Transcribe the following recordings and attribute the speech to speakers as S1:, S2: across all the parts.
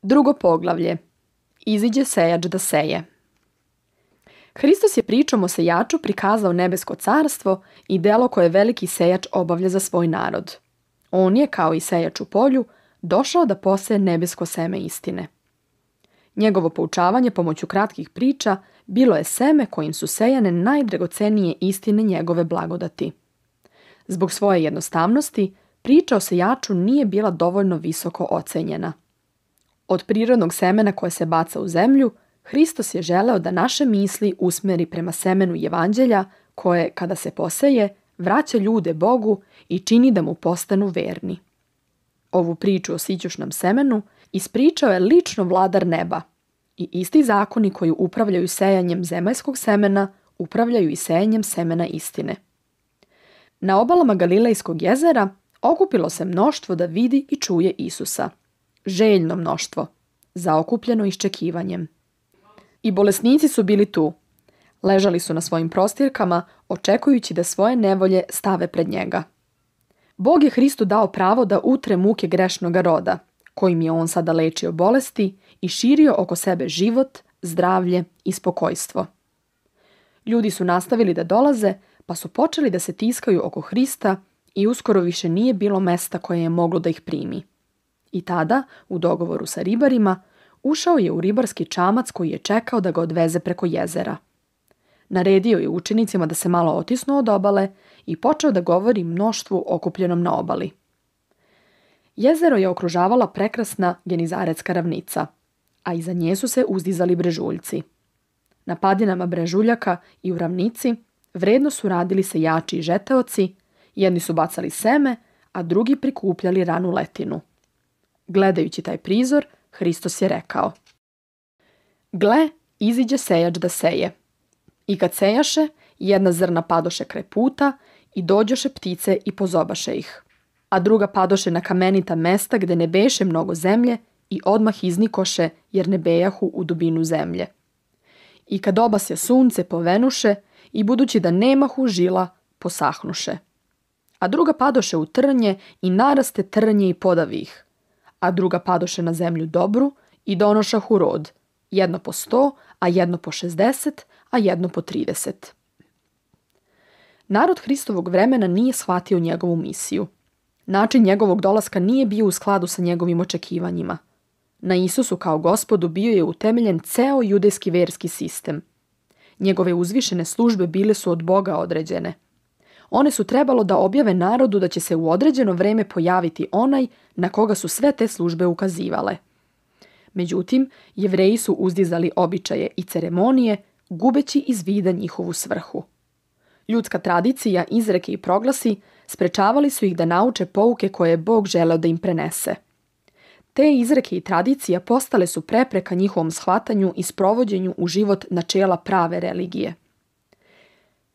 S1: Drugo poglavlje. Iziđe sejač da seje. Hristos je pričom o sejaču prikazao nebesko carstvo i delo koje veliki sejač obavlja za svoj narod. On je, kao i sejač u polju, došao da poseje nebesko seme istine. Njegovo poučavanje pomoću kratkih priča bilo je seme kojim su sejane najdragocenije istine njegove blagodati. Zbog svoje jednostavnosti, priča o sejaču nije bila dovoljno visoko ocenjena. Od prirodnog semena koje se baca u zemlju, Hristos je želeo da naše misli usmeri prema semenu Evanđelja koje, kada se poseje, vraća ljude Bogu i čini da mu postanu verni. Ovu priču o sićušnom semenu ispričao je lično vladar neba i isti zakoni koji upravljaju sejanjem zemaljskog semena upravljaju i sejanjem semena istine. Na obalama Galilejskog jezera okupilo se mnoštvo da vidi i čuje Isusa. Željno mnoštvo, zaokupljeno iščekivanjem. I bolesnici su bili tu. Ležali su na svojim prostirkama, očekujući da svoje nevolje stave pred njega. Bog je Hristu dao pravo da utre muke grešnoga roda, kojim je on sada lečio bolesti i širio oko sebe život, zdravlje i spokojstvo. Ljudi su nastavili da dolaze, pa su počeli da se tiskaju oko Hrista i uskoro više nije bilo mesta koje je moglo da ih primi. I tada, u dogovoru sa ribarima, ušao je u ribarski čamac koji je čekao da ga odveze preko jezera. Naredio je učenicima da se malo otisnu od obale i počeo da govori mnoštvu okupljenom na obali. Jezero je okružavala prekrasna Genizaretska ravnica, a iza nje su se uzdizali brežuljci. Na padinama brežuljaka i u ravnici vredno su radili sejači i žeteoci, jedni su bacali seme, a drugi prikupljali ranu letinu. Gledajući taj prizor, Hristos je rekao: Gle, iziđe sejač da seje. I kad sejaše, jedna zrna padoše kraj puta i dođoše ptice i pozobaše ih. A druga padoše na kamenita mesta gde ne beše mnogo zemlje i odmah iznikoše jer ne bejahu u dubinu zemlje. I kad obasja sunce povenuše i budući da nemahu žila, posahnuše. A druga padoše u trnje i naraste trnje i podavi ih. A druga padoše na zemlju dobru i donošahu rod, jedno po 100, a jedno po 60, a jedno po 30. Narod Hristovog vremena nije shvatio njegovu misiju. Način njegovog dolaska nije bio u skladu sa njegovim očekivanjima. Na Isusu kao Gospodu bio je utemeljen ceo judejski verski sistem. Njegove uzvišene službe bile su od Boga određene. One su trebalo da objave narodu da će se u određeno vreme pojaviti onaj na koga su sve te službe ukazivale. Međutim, Jevreji su uzdizali običaje i ceremonije, gubeći iz vida njihovu svrhu. Ljudska tradicija, izreke i proglasi sprečavali su ih da nauče pouke koje je Bog želeo da im prenese. Te izreke i tradicija postale su prepreka njihovom shvatanju i sprovođenju u život načela prave religije.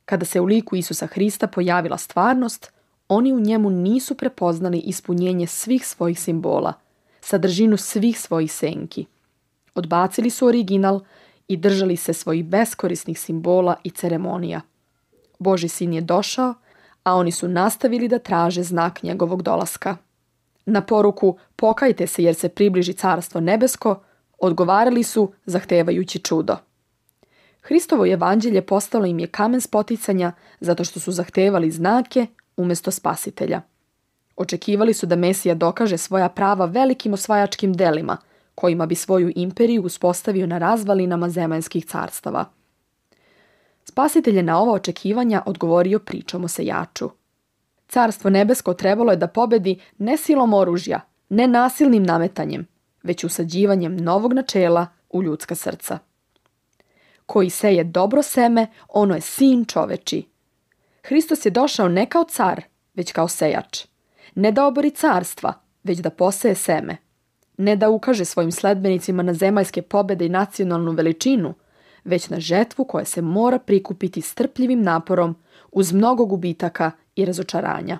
S1: Kada se u liku Isusa Hrista pojavila stvarnost, oni u njemu nisu prepoznali ispunjenje svih svojih simbola, sadržinu svih svojih senki. Odbacili su original i držali se svojih beskorisnih simbola i ceremonija. Božji sin je došao, a oni su nastavili da traže znak njegovog dolaska. Na poruku "Pokajte se jer se približi carstvo nebesko", odgovarali su zahtevajući čudo. Hristovo evanđelje postalo im je kamen spoticanja zato što su zahtevali znake umjesto spasitelja. Očekivali su da Mesija dokaže svoja prava velikim osvajačkim delima, kojima bi svoju imperiju uspostavio na razvalinama zemaljskih carstava. Spasitelj je na ova očekivanja odgovorio pričom o sejaču. Carstvo nebesko trebalo je da pobedi ne silom oružja, ne nasilnim nametanjem, već usađivanjem novog načela u ljudska srca. Koji seje dobro seme, ono je sin čoveči. Hristos je došao ne kao car, već kao sejač. Ne da obori carstva, već da poseje seme. Ne da ukaže svojim sledbenicima na zemaljske pobede i nacionalnu veličinu, već na žetvu koja se mora prikupiti strpljivim naporom uz mnogo gubitaka i razočaranja.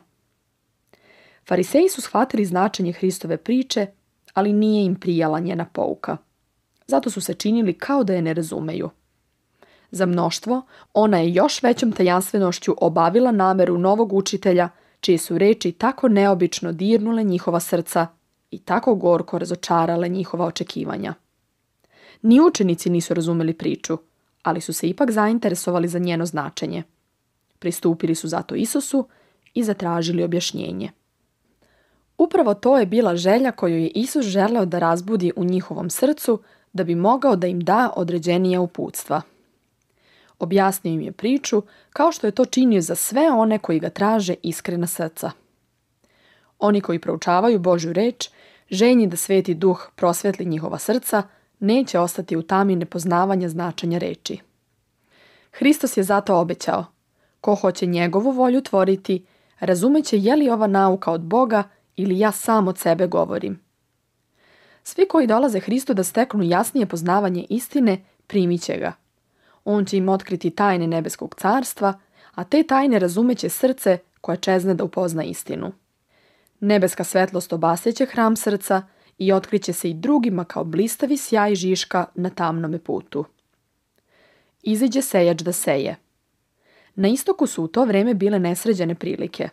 S1: Fariseji su shvatili značenje Hristove priče, ali nije im prijala njena pouka. Zato su se činili kao da je ne razumeju. Za mnoštvo, ona je još većom tajanstvenošću obavila nameru novog učitelja, čije su reči tako neobično dirnule njihova srca i tako gorko razočarale njihova očekivanja. Ni učenici nisu razumeli priču, ali su se ipak zainteresovali za njeno značenje. Pristupili su zato Isusu i zatražili objašnjenje. Upravo to je bila želja koju je Isus želeo da razbudi u njihovom srcu da bi mogao da im da određenija uputstva. Objasnio im je priču kao što je to činio za sve one koji ga traže iskrena srca. Oni koji proučavaju Božju reč, željni da Sveti Duh prosvetli njihova srca, neće ostati u tami nepoznavanja značenja reči. Hristos je zato obećao: ko hoće njegovu volju tvoriti, razumeće je li ova nauka od Boga ili ja sam od sebe govorim. Svi koji dolaze Hristu da steknu jasnije poznavanje istine, primit će ga. On će im otkriti tajne nebeskog carstva, a te tajne razumeće srce koje čezne da upozna istinu. Nebeska svetlost obasjeće hram srca i otkriće se i drugima kao blistavi sjaj žiška na tamnome putu. Iziđe sejač da seje. Na istoku su u to vreme bile nesređene prilike.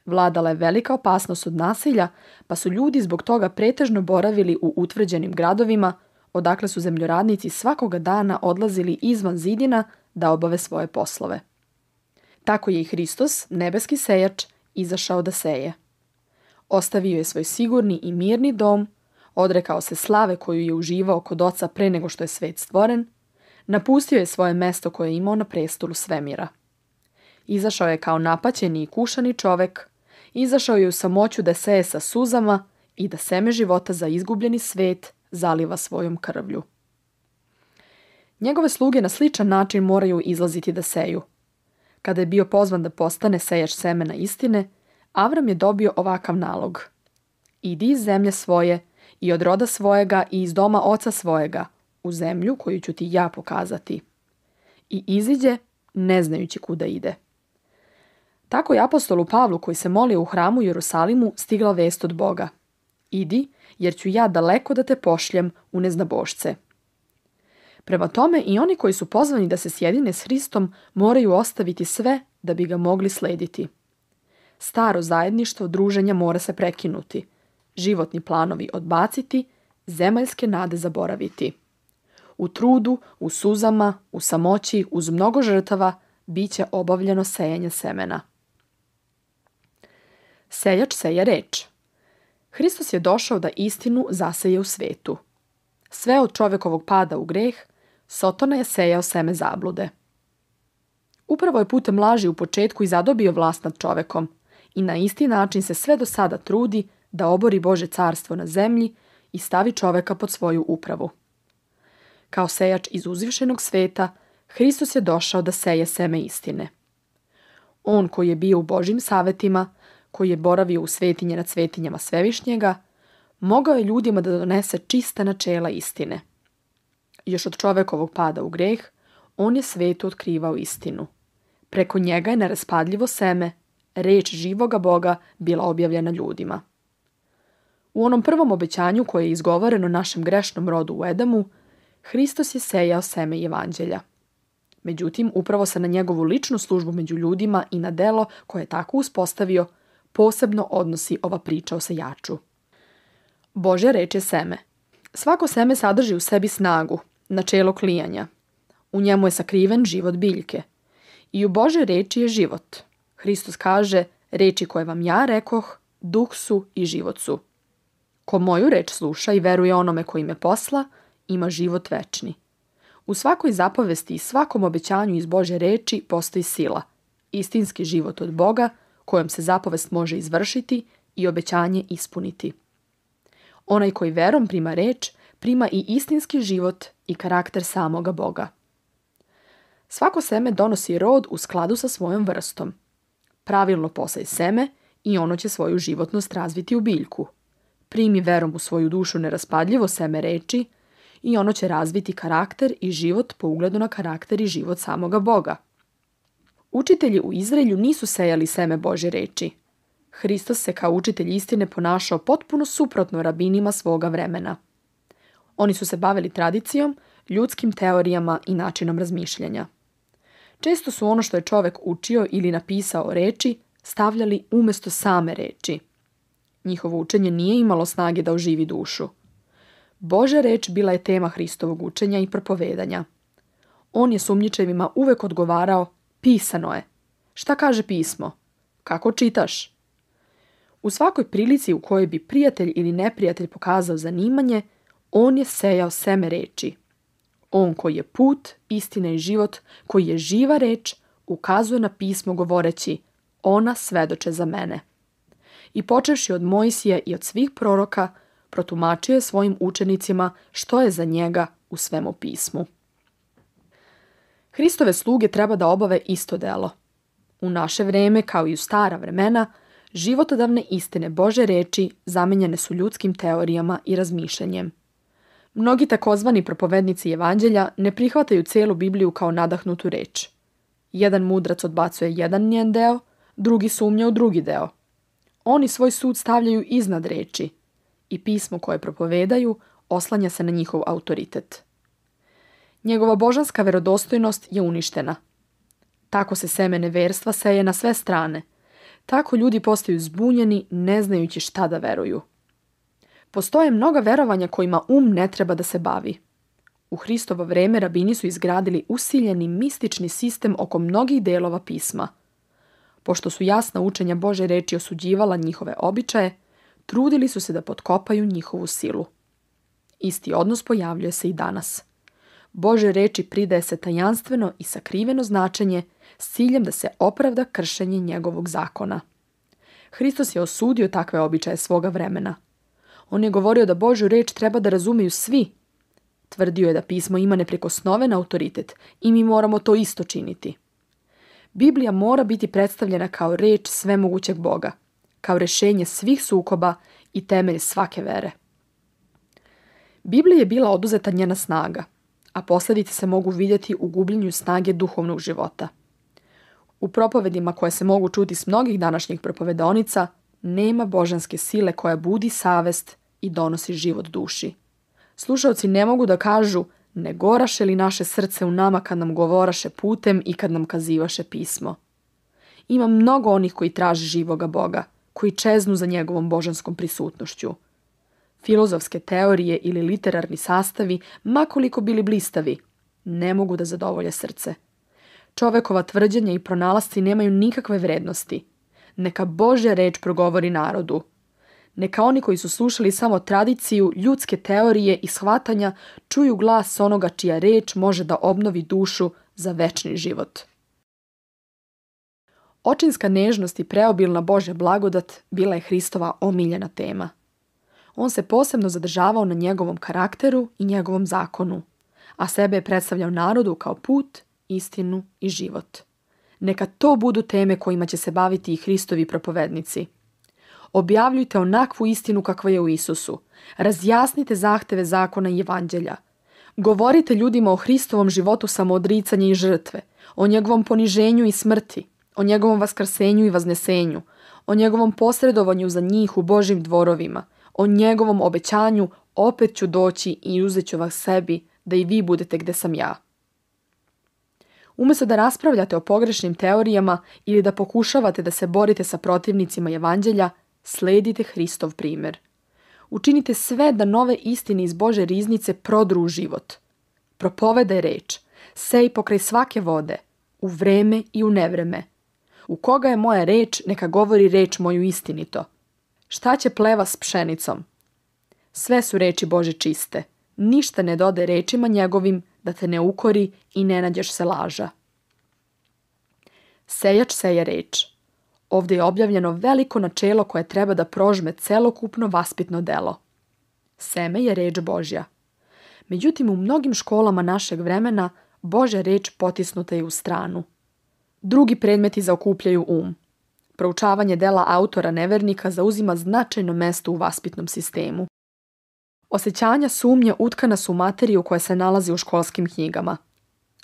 S1: Vladala je velika opasnost od nasilja, pa su ljudi zbog toga pretežno boravili u utvrđenim gradovima, odakle su zemljoradnici svakoga dana odlazili izvan zidina da obave svoje poslove. Tako je i Hristos, nebeski sejač, izašao da seje. Ostavio je svoj sigurni i mirni dom, odrekao se slave koju je uživao kod Oca pre nego što je svet stvoren, napustio je svoje mesto koje je imao na prestolu svemira. Izašao je kao napaćeni i kušani čovek, izašao je u samoću da seje sa suzama i da seme života za izgubljeni svet zaliva svojom krvlju. Njegove sluge na sličan način moraju izlaziti da seju. Kada je bio pozvan da postane sejač semena istine, Avram je dobio ovakav nalog: idi iz zemlje svoje i od roda svojega i iz doma oca svojega, u zemlju koju ću ti ja pokazati. I iziđe, ne znajući kuda ide. Tako je apostolu Pavlu, koji se molio u hramu u Jerusalimu, stigla vest od Boga: idi, jer ću ja daleko da te pošljem u neznabošce. Prema tome i oni koji su pozvani da se sjedine s Hristom moraju ostaviti sve da bi ga mogli slediti. Staro zajedništvo druženja mora se prekinuti, životni planovi odbaciti, zemaljske nade zaboraviti. U trudu, u suzama, u samoći, uz mnogo žrtava, bit će obavljeno sejanje semena. Sejač seje reč. Hristos je došao da istinu zaseje u svetu. Sve od čovekovog pada u greh, Sotona je sejao seme zablude. Upravo je putem laži u početku i zadobio vlast nad čovekom i na isti način se sve do sada trudi da obori Božje carstvo na zemlji i stavi čoveka pod svoju upravu. Kao sejač iz uzvišenog sveta, Hristos je došao da seje seme istine. On koji je bio u Božjim savetima, koji je boravio u svetinje nad svetinjama Svevišnjega, mogao je ljudima da donese čista načela istine. Još od čovekovog pada u greh, on je svetu otkrivao istinu. Preko njega je neraspadljivo seme, reč živoga Boga, bila objavljena ljudima. U onom prvom obećanju koje je izgovoreno našem grešnom rodu u Edamu, Hristos je sejao seme evanđelja. Međutim, upravo se na njegovu ličnu službu među ljudima i na delo koje je tako uspostavio, posebno odnosi ova priča o sejaču. Božja reč je seme. Svako seme sadrži u sebi snagu, načelo klijanja. U njemu je sakriven život biljke. I u Božjoj reči je život. Hristos kaže: reči koje vam ja rekoh, duh su i život su. Ko moju reč sluša i veruje onome koji me posla, ima život večni. U svakoj zapovesti i svakom obećanju iz Božje reči postoji sila, istinski život od Boga, kojom se zapovest može izvršiti i obećanje ispuniti. Onaj koji verom prima reč, prima i istinski život i karakter samoga Boga. Svako seme donosi rod u skladu sa svojom vrstom. Pravilno posej seme i ono će svoju životnost razviti u biljku. Primi verom u svoju dušu neraspadljivo seme reči i ono će razviti karakter i život po ugledu na karakter i život samoga Boga. Učitelji u Izraelju nisu sejali seme Božje reči. Hristos se kao učitelj istine ponašao potpuno suprotno rabinima svoga vremena. Oni su se bavili tradicijom, ljudskim teorijama i načinom razmišljanja. Često su ono što je čovek učio ili napisao reči stavljali umjesto same reči. Njihovo učenje nije imalo snage da oživi dušu. Božja reč bila je tema Hristovog učenja i propovedanja. On je sumnjičevima uvek odgovarao: pisano je. Šta kaže pismo? Kako čitaš? U svakoj prilici u kojoj bi prijatelj ili neprijatelj pokazao zanimanje, on je sejao seme reči. On koji je put, istina i život, koji je živa reč, ukazuje na pismo govoreći: ona svedoče za mene. I počevši od Mojsija i od svih proroka, protumačio je svojim učenicima što je za njega u svemu pismu. Hristove sluge treba da obave isto delo. U naše vreme, kao i u stara vremena, životodavne istine Božje reči zamenjene su ljudskim teorijama i razmišljanjem. Mnogi takozvani propovednici evanđelja ne prihvataju celu Bibliju kao nadahnutu reč. Jedan mudrac odbacuje jedan njen deo, drugi sumnja u drugi deo. Oni svoj sud stavljaju iznad reči i pismo koje propovedaju oslanja se na njihov autoritet. Njegova božanska verodostojnost je uništena. Tako se seme neverstva seje na sve strane. Tako ljudi postaju zbunjeni, ne znajući šta da veruju. Postoje mnoga verovanja kojima ne treba da se bavi. U Hristovo vreme rabini su izgradili usiljeni mistični sistem oko mnogih delova pisma. Pošto su jasna učenja Božje reči osuđivala njihove običaje, trudili su se da potkopaju njihovu silu. Isti odnos pojavljuje se i danas. Božje reči pridaje se tajanstveno i sakriveno značenje s ciljem da se opravda kršenje njegovog zakona. Hristos je osudio takve običaje svoga vremena. On je govorio da Božju reč treba da razumeju svi. Tvrdio je da pismo ima neprikosnoven autoritet i mi moramo to isto činiti. Biblija mora biti predstavljena kao reč svemogućeg Boga, kao rešenje svih sukoba i temelj svake vere. Bibliji je bila oduzeta njena snaga, a posljedice se mogu vidjeti u gubljenju snage duhovnog života. U propovedima koje se mogu čuti s mnogih današnjih propovedonica, nema božanske sile koja budi savest i donosi život duši. Slušaoci ne mogu da kažu: ne goraše li naše srce u nama kad nam govoraše putem i kad nam kazivaše pismo. Ima mnogo onih koji traže živoga Boga, koji čeznu za njegovom božanskom prisutnošću. Filozofske teorije ili literarni sastavi, makoliko bili blistavi, ne mogu da zadovolje srce. Čovekova tvrđenja i pronalasci nemaju nikakve vrednosti. Neka Božja reč progovori narodu. Neka oni koji su slušali samo tradiciju, ljudske teorije i shvatanja čuju glas onoga čija reč može da obnovi dušu za večni život. Očinska nežnost i preobilna Božja blagodat bila je Hristova omiljena tema. On se posebno zadržavao na njegovom karakteru i njegovom zakonu, a sebe je predstavljao narodu kao put, istinu i život. Neka to budu teme kojima će se baviti i Hristovi propovednici. Objavljujte onakvu istinu kakva je u Isusu. Razjasnite zahteve zakona i evanđelja. Govorite ljudima o Hristovom životu samoodricanja i žrtve, o njegovom poniženju i smrti, o njegovom vaskrsenju i vaznesenju, o njegovom posredovanju za njih u Božjim dvorovima, o njegovom obećanju: opet ću doći i uzet ću vas sebi, da i vi budete gde sam ja. Umjesto da raspravljate o pogrešnim teorijama ili da pokušavate da se borite sa protivnicima evanđelja, sledite Hristov primjer. Učinite sve da nove istine iz Božje riznice prodru u život. Propovedaj reč, sej pokraj svake vode, u vreme i u nevreme. U koga je moja reč, neka govori reč moju istinito. Šta će pleva s pšenicom? Sve su reči Božje čiste. Ništa ne dode rečima njegovim da te ne ukori i ne nađeš se laža. Sejač seje reč. Ovdje je objavljeno veliko načelo koje treba da prožme celokupno vaspitno delo. Seme je reč Božja. Međutim, u mnogim školama našeg vremena Božja reč potisnuta je u stranu. Drugi predmeti zaokupljaju Proučavanje dela autora nevernika zauzima značajno mesto u vaspitnom sistemu. Osjećanja sumnje utkana su u materiju koja se nalazi u školskim knjigama.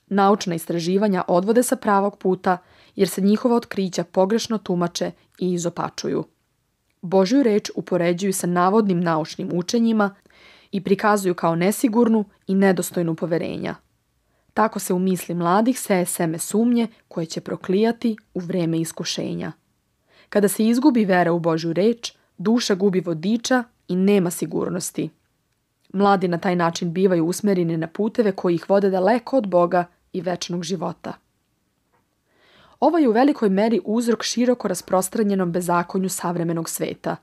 S1: Naučna istraživanja odvode sa pravog puta jer se njihova otkrića pogrešno tumače i izopačuju. Božju reč upoređuju sa navodnim naučnim učenjima i prikazuju kao nesigurnu i nedostojnu poverenja. Tako se u misli mladih seje seme sumnje koje će proklijati u vreme iskušenja. Kada se izgubi vera u Božju reč, Duša gubi vodiča i nema sigurnosti. Mladi na taj način bivaju usmjereni na puteve koji ih vode daleko od Boga i večnog života. Ovo je u velikoj meri uzrok široko rasprostranjenom bezakonju savremenog sveta.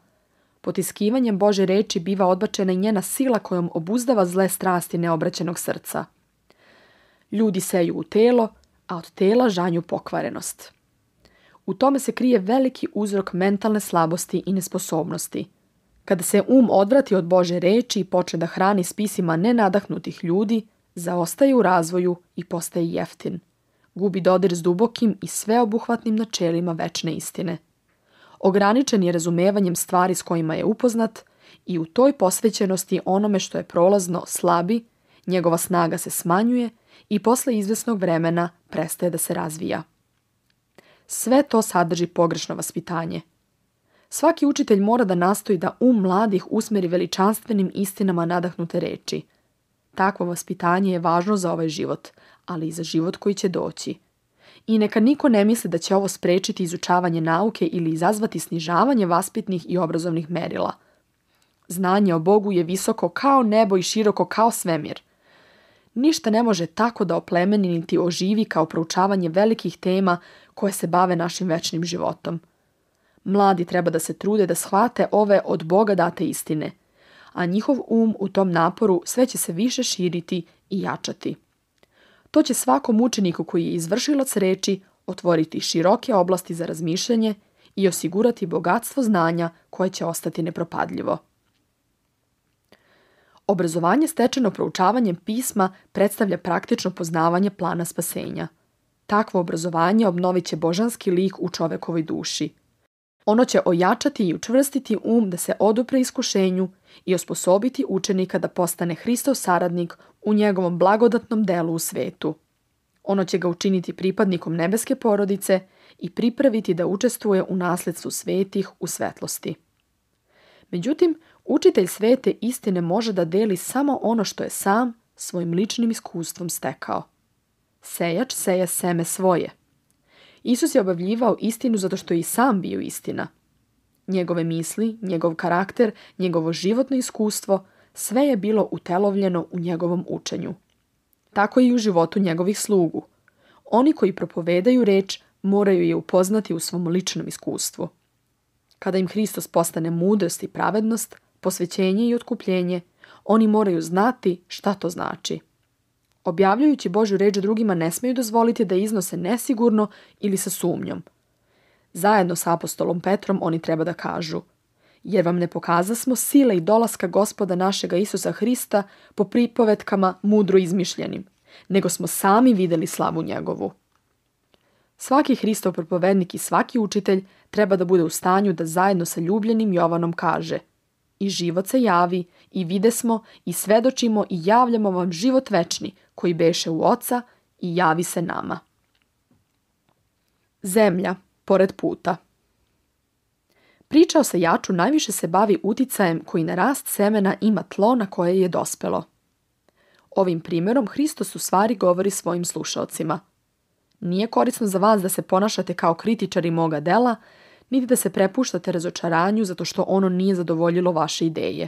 S1: Potiskivanjem Božje reči biva odbačena i njena sila kojom obuzdava zle strasti neobraćenog srca. Ljudi seju u telo, a od tela žanju pokvarenost. U tome se krije veliki uzrok mentalne slabosti i nesposobnosti. Kada se odvrati od Božje reči i počne da hrani spisima nenadahnutih ljudi, zaostaje u razvoju i postaje jeftin. Gubi dodir s dubokim i sveobuhvatnim načelima večne istine. Ograničen je razumevanjem stvari s kojima je upoznat i u toj posvećenosti onome što je prolazno slabi, njegova snaga se smanjuje i posle izvesnog vremena prestaje da se razvija. Sve to sadrži pogrešno vaspitanje. Svaki učitelj mora da nastoji da mladih usmeri veličanstvenim istinama nadahnute reči. Takvo vaspitanje je važno za ovaj život, ali i za život koji će doći. I neka niko ne misli da će ovo sprečiti izučavanje nauke ili izazvati snižavanje vaspitnih i obrazovnih merila. Znanje o Bogu je visoko kao nebo i široko kao svemir. Ništa ne može tako da oplemeni niti oživi kao proučavanje velikih tema koje se bave našim večnim životom. Mladi treba da se trude da shvate ove od Boga date istine, a njihov u tom naporu sve će se više širiti i jačati. To će svakom učeniku koji je izvršilac reči otvoriti široke oblasti za razmišljanje i osigurati bogatstvo znanja koje će ostati nepropadljivo. Obrazovanje stečeno proučavanjem pisma predstavlja praktično poznavanje plana spasenja. Takvo obrazovanje obnovit će božanski lik u čovekovoj duši. Ono će ojačati i učvrstiti da se odupre iskušenju i osposobiti učenika da postane Hristov saradnik u njegovom blagodatnom delu u svetu. Ono će ga učiniti pripadnikom nebeske porodice i pripraviti da učestvuje u nasledstvu svetih u svetlosti. Međutim, učitelj svete istine može da deli samo ono što je sam svojim ličnim iskustvom stekao. Sejač seje seme svoje. Isus je objavljivao istinu zato što je i sam bio istina. Njegove misli, njegov karakter, njegovo životno iskustvo, sve je bilo utelovljeno u njegovom učenju. Tako i u životu njegovih slugu. Oni koji propovedaju reč moraju je upoznati u svom ličnom iskustvu. Kada im Hristos postane mudrost i pravednost, posvećenje i otkupljenje, oni moraju znati šta to znači. Objavljujući Božju reč drugima ne smeju dozvoliti da iznose nesigurno ili sa sumnjom. Zajedno sa apostolom Petrom oni treba da kažu: jer vam ne pokazasmo sile i dolaska Gospoda našega Isusa Hrista po pripovetkama mudro izmišljenim, nego smo sami videli slavu njegovu. Svaki Hristov propovednik i svaki učitelj treba da bude u stanju da zajedno sa ljubljenim Jovanom kaže: i život se javi, i videsmo, i svedočimo, i javljamo vam život večni, koji beše u Oca, i javi se nama. Zemlja, pored puta. Priča o sejaču najviše se bavi uticajem koji na rast semena ima tlo na koje je dospelo. Ovim primjerom Hristos u stvari govori svojim slušaocima: nije korisno za vas da se ponašate kao kritičari moga dela, niti da se prepuštate razočaranju zato što ono nije zadovoljilo vaše ideje.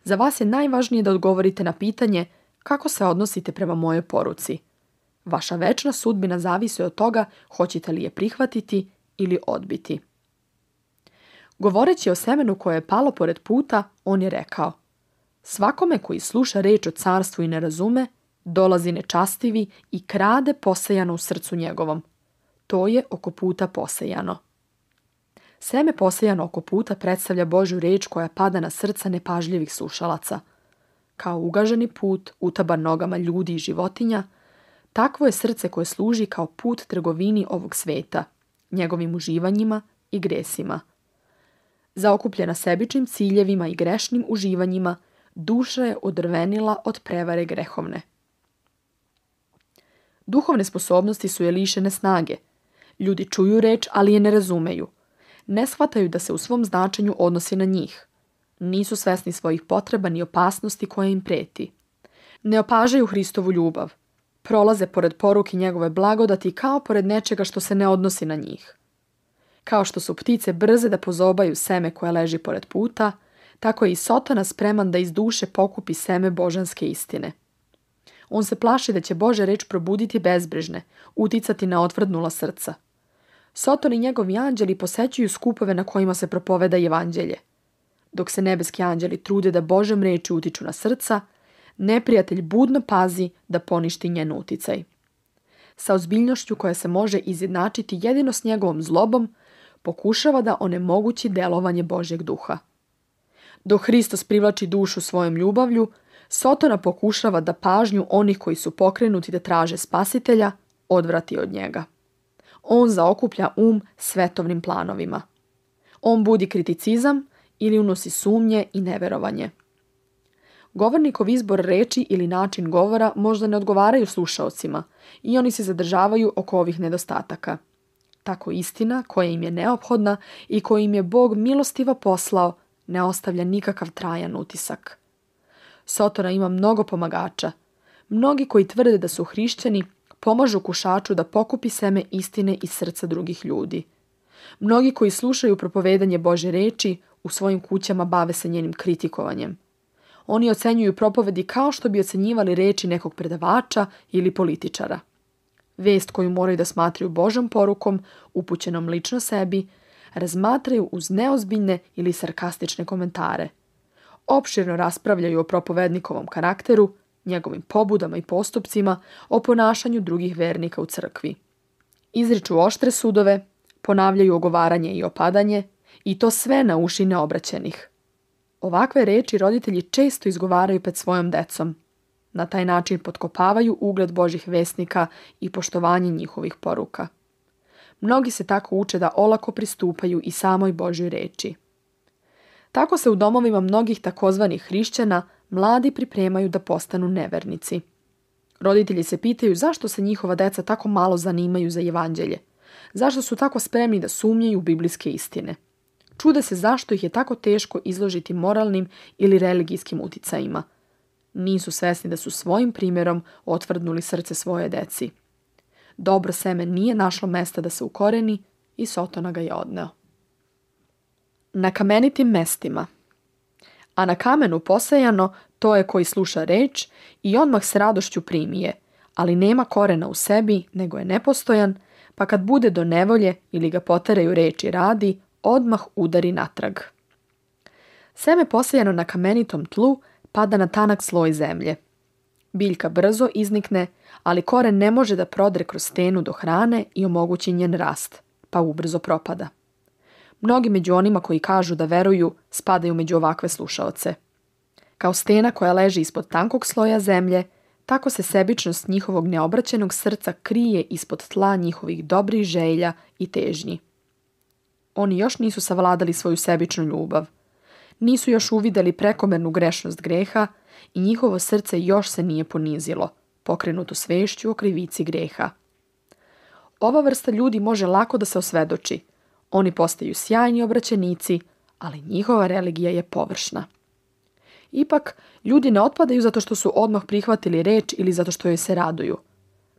S1: Za vas je najvažnije da odgovorite na pitanje kako se odnosite prema mojoj poruci. Vaša večna sudbina zavisi od toga hoćete li je prihvatiti ili odbiti. Govoreći o semenu koje je palo pored puta, on je rekao: svakome koji sluša reč o carstvu i ne razume, dolazi nečastivi i krade posejano u srcu njegovom. To je oko puta posejano. Seme posejano oko puta predstavlja Božju reč koja pada na srca nepažljivih slušalaca. Kao ugaženi put, utaban nogama ljudi i životinja, takvo je srce koje služi kao put trgovini ovog sveta, njegovim uživanjima i gresima. Zaokupljena sebičnim ciljevima i grešnim uživanjima, duša je odrvenila od prevare grehovne. Duhovne sposobnosti su je lišene snage. Ljudi čuju reč, ali je ne razumeju. Ne shvataju da se u svom značenju odnosi na njih. Nisu svesni svojih potreba ni opasnosti koje im preti. Ne opažaju Hristovu ljubav. Prolaze pored poruke njegove blagodati kao pored nečega što se ne odnosi na njih. Kao što su ptice brze da pozobaju seme koje leži pored puta, tako je i Sotona spreman da iz duše pokupi seme božanske istine. On se plaši da će Božja reč probuditi bezbrižne, uticati na otvrdnula srca. Soton i njegovi anđeli posećuju skupove na kojima se propoveda evanđelje. Dok se nebeski anđeli trude da Božjom reči utiču na srca, neprijatelj budno pazi da poništi njen uticaj. Sa ozbiljnošću koja se može izjednačiti jedino s njegovom zlobom, pokušava da onemogući delovanje Božjeg duha. Dok Hristos privlači dušu svojom ljubavlju, Sotona pokušava da pažnju onih koji su pokrenuti da traže spasitelja odvrati od njega. On zaokuplja svetovnim planovima. On budi kriticizam ili unosi sumnje i neverovanje. Govornikov izbor reči ili način govora možda ne odgovaraju slušaocima i oni se zadržavaju oko ovih nedostataka. Tako istina koja im je neophodna i koju im je Bog milostivo poslao ne ostavlja nikakav trajan utisak. Sotona ima mnogo pomagača. Mnogi koji tvrde da su hrišćani pomažu kušaču da pokupi seme istine iz srca drugih ljudi. Mnogi koji slušaju propovedanje Božje reči u svojim kućama bave se njenim kritikovanjem. Oni ocenjuju propovedi kao što bi ocenjivali reči nekog predavača ili političara. Vest koju moraju da smatraju Božjom porukom, upućenom lično sebi, razmatraju uz neozbiljne ili sarkastične komentare. Opširno raspravljaju o propovednikovom karakteru, njegovim pobudama i postupcima, o ponašanju drugih vernika u crkvi. Izriču oštre sudove, ponavljaju ogovaranje i opadanje, i to sve na uši neobraćenih. Ovakve reči roditelji često izgovaraju pred svojom decom. Na taj način potkopavaju ugled Božjih vesnika i poštovanje njihovih poruka. Mnogi se tako uče da olako pristupaju i samoj Božjoj reči. Tako se u domovima mnogih takozvanih hrišćana mladi pripremaju da postanu nevernici. Roditelji se pitaju zašto se njihova deca tako malo zanimaju za evanđelje. Zašto su tako spremni da sumnjaju u biblijske istine. Čude se zašto ih je tako teško izložiti moralnim ili religijskim uticajima. Nisu svesni da su svojim primjerom otvrdnuli srce svoje deci. Dobro seme nije našlo mesta da se ukoreni i Sotona ga je odneo. Na kamenitim mestima. A na kamenu posejano to je koji sluša reč i odmah s radošću primi je, ali nema korena u sebi, nego je nepostojan, pa kad bude do nevolje ili ga poteraju reči radi, odmah udari natrag. Seme posejano na kamenitom tlu pada na tanak sloj zemlje. Biljka brzo iznikne, ali koren ne može da prodre kroz stenu do hrane i omogući njen rast, pa ubrzo propada. Mnogi među onima koji kažu da veruju spadaju među ovakve slušaoce. Kao stena koja leži ispod tankog sloja zemlje, tako se sebičnost njihovog neobraćenog srca krije ispod tla njihovih dobrih želja i težnji. Oni još nisu savladali svoju sebičnu ljubav. Nisu još uvideli prekomernu grešnost greha i njihovo srce još se nije ponizilo, pokrenuto svešću o krivici greha. Ova vrsta ljudi može lako da se osvedoči. Oni postaju sjajni obraćenici, ali njihova religija je površna. Ipak, ljudi ne otpadaju zato što su odmah prihvatili reč ili zato što joj se raduju.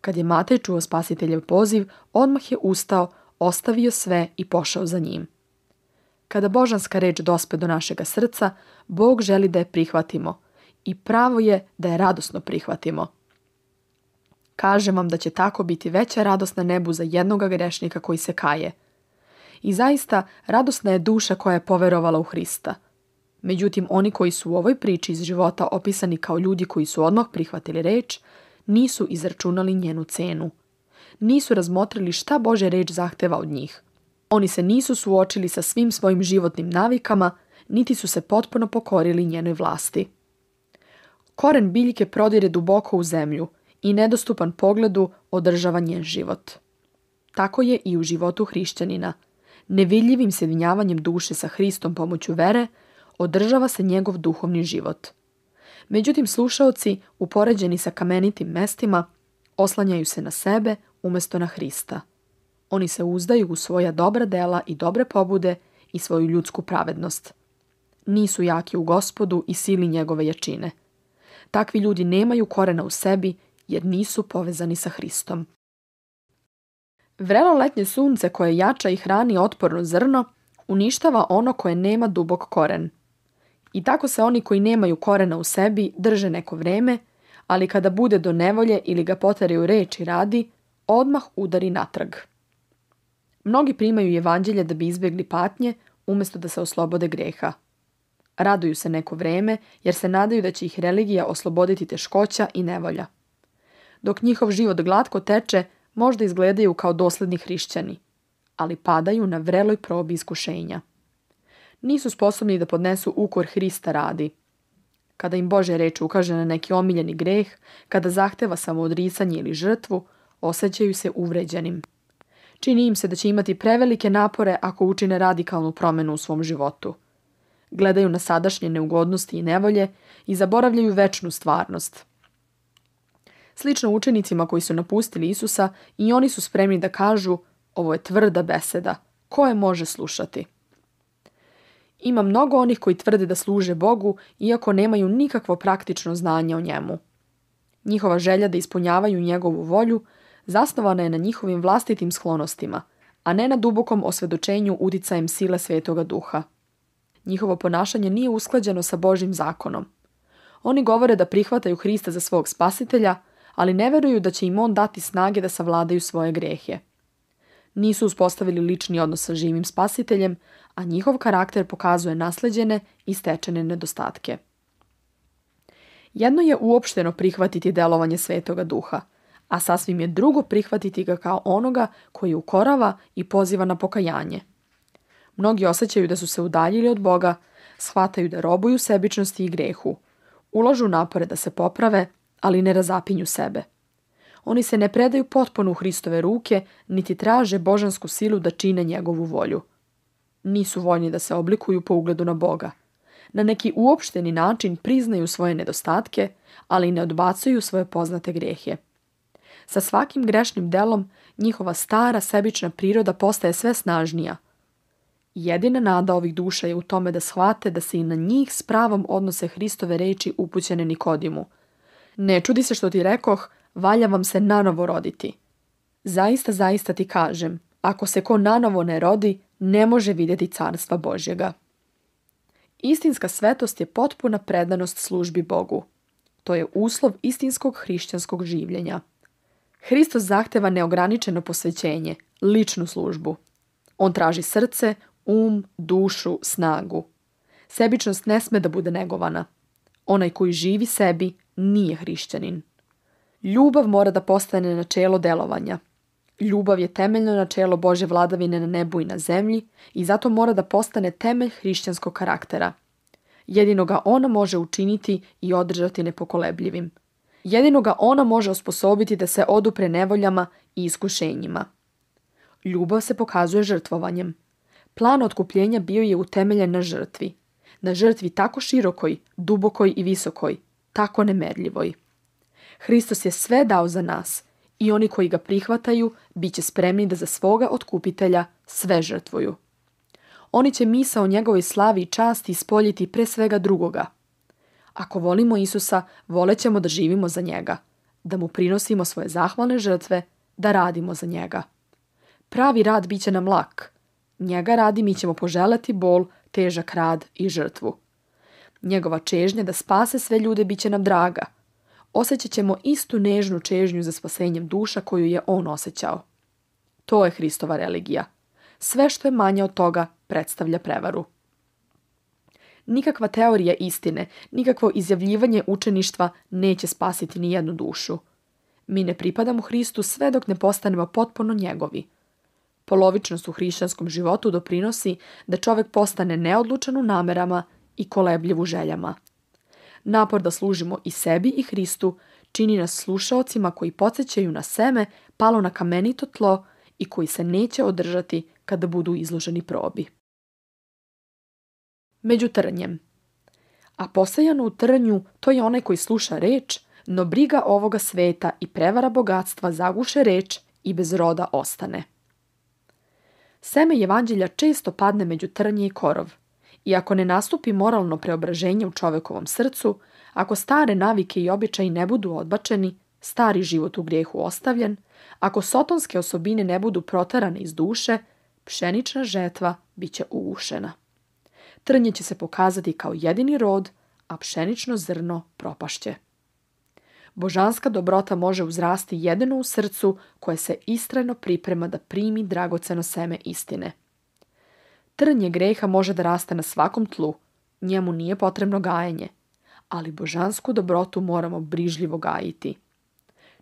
S1: Kad je Matej čuo Spasiteljev poziv, odmah je ustao, ostavio sve i pošao za njim. Kada božanska reč dospe do našega srca, Bog želi da je prihvatimo i pravo je da je radosno prihvatimo. Kažem vam da će tako biti veća radost na nebu za jednoga grešnika koji se kaje. I zaista radosna je duša koja je poverovala u Hrista. Međutim, oni koji su u ovoj priči iz života opisani kao ljudi koji su odmah prihvatili reč, nisu izračunali njenu cenu. Nisu razmotrili šta Božja reč zahteva od njih. Oni se nisu suočili sa svim svojim životnim navikama, niti su se potpuno pokorili njenoj vlasti. Koren biljke prodire duboko u zemlju i nedostupan pogledu održava njen život. Tako je i u životu hrišćanina. Nevidljivim sjedinjavanjem duše sa Hristom pomoću vere održava se njegov duhovni život. Međutim, slušaoci, upoređeni sa kamenitim mestima, oslanjaju se na sebe umjesto na Hrista. Oni se uzdaju u svoja dobra dela i dobre pobude i svoju ljudsku pravednost. Nisu jaki u Gospodu i sili njegove jačine. Takvi ljudi nemaju korena u sebi jer nisu povezani sa Hristom. Vrelo letnje sunce koje jača i hrani otporno zrno, uništava ono koje nema dubok koren. I tako se oni koji nemaju korena u sebi drže neko vreme, ali kada bude do nevolje ili ga poteraju reč i radi, odmah udari natrag. Mnogi primaju evanđelje da bi izbjegli patnje, umjesto da se oslobode greha. Raduju se neko vreme, jer se nadaju da će ih religija osloboditi teškoća i nevolja. Dok njihov život glatko teče, možda izgledaju kao dosledni hrišćani, ali padaju na vreloj probi iskušenja. Nisu sposobni da podnesu ukor Hrista radi. Kada im Božja reč ukaže na neki omiljeni greh, kada zahteva samoodricanje ili žrtvu, osjećaju se uvređenim. Čini im se da će imati prevelike napore ako učine radikalnu promjenu u svom životu. Gledaju na sadašnje neugodnosti i nevolje i zaboravljaju večnu stvarnost. Slično učenicima koji su napustili Isusa, i oni su spremni da kažu: ovo je tvrda beseda, ko je može slušati? Ima mnogo onih koji tvrde da služe Bogu, iako nemaju nikakvo praktično znanje o njemu. Njihova želja da ispunjavaju njegovu volju zasnovana je na njihovim vlastitim sklonostima, a ne na dubokom osvjedočenju uticajem sile Svetoga Duha. Njihovo ponašanje nije usklađeno sa Božjim zakonom. Oni govore da prihvataju Hrista za svog spasitelja, ali ne veruju da će im on dati snage da savladaju svoje grehe. Nisu uspostavili lični odnos sa živim spasiteljem, a njihov karakter pokazuje nasleđene i stečene nedostatke. Jedno je uopšteno prihvatiti delovanje Svetoga Duha, a sasvim je drugo prihvatiti ga kao onoga koji ukorava i poziva na pokajanje. Mnogi osjećaju da su se udaljili od Boga, shvataju da robuju sebičnosti i grehu, ulažu napore da se poprave, ali ne razapinju sebe. Oni se ne predaju potpuno u Hristove ruke, niti traže božansku silu da čine njegovu volju. Nisu voljni da se oblikuju po ugledu na Boga. Na neki uopšteni način priznaju svoje nedostatke, ali ne odbacuju svoje poznate grehe. Sa svakim grešnim delom njihova stara sebična priroda postaje sve snažnija. Jedina nada ovih duša je u tome da shvate da se i na njih s pravom odnose Hristove reči upućene Nikodimu. Ne čudi se što ti rekoh, valja vam se nanovo roditi. Zaista, zaista ti kažem, ako se ko nanovo ne rodi, ne može vidjeti carstva Božjega. Istinska svetost je potpuna predanost službi Bogu. To je uslov istinskog hrišćanskog življenja. Hristos zahteva neograničeno posvećenje, ličnu službu. On traži srce, dušu, snagu. Sebičnost ne sme da bude negovana. Onaj koji živi sebi nije hrišćanin. Ljubav mora da postane načelo delovanja. Ljubav je temeljno načelo Božje vladavine na nebu i na zemlji i zato mora da postane temelj hrišćanskog karaktera. Jedino ga ona može učiniti i održati nepokolebljivim. Jedino ga ona može osposobiti da se odupre nevoljama i iskušenjima. Ljubav se pokazuje žrtvovanjem. Plan otkupljenja bio je utemeljen na žrtvi. Na žrtvi tako širokoj, dubokoj i visokoj, tako nemerljivoj. Hristos je sve dao za nas i oni koji ga prihvataju bit će spremni da za svoga otkupitelja sve žrtvuju. Oni će misao o njegovoj slavi i časti ispoljiti pre svega drugoga. Ako volimo Isusa, volećemo da živimo za njega, da mu prinosimo svoje zahvalne žrtve, da radimo za njega. Pravi rad bit će nam lak. Njega radi mi ćemo poželeti bol, težak rad i žrtvu. Njegova čežnja da spase sve ljude bit će nam draga. Osjećat ćemo istu nežnu čežnju za spasenjem duša koju je on osjećao. To je Hristova religija. Sve što je manje od toga predstavlja prevaru. Nikakva teorija istine, nikakvo izjavljivanje učeništva neće spasiti ni jednu dušu. Mi ne pripadamo Hristu sve dok ne postanemo potpuno njegovi. Polovičnost u hrišćanskom životu doprinosi da čovjek postane neodlučan u namerama i kolebljiv u željama. Napor da služimo i sebi i Hristu čini nas slušaocima koji podsjećaju na seme palo na kamenito tlo i koji se neće održati kada budu izloženi probi. Među trnjem. A posejano u trnju to je onaj koji sluša reč, no briga ovoga sveta i prevara bogatstva zaguše reč i bez roda ostane. Seme evanđelja često padne među trnje i korov. I ako ne nastupi moralno preobraženje u čovjekovom srcu, ako stare navike i običaji ne budu odbačeni, stari život u grijehu ostavljen, Ako sotonske osobine ne budu proterane iz duše, pšenična žetva bit će ugušena. Trnje će se pokazati kao jedini rod, a pšenično zrno propašće. Božanska dobrota može uzrasti jedino u srcu koje se istrajno priprema da primi dragoceno seme istine. Trnje greha može da raste na svakom tlu, njemu nije potrebno gajenje, ali božansku dobrotu moramo brižljivo gajiti.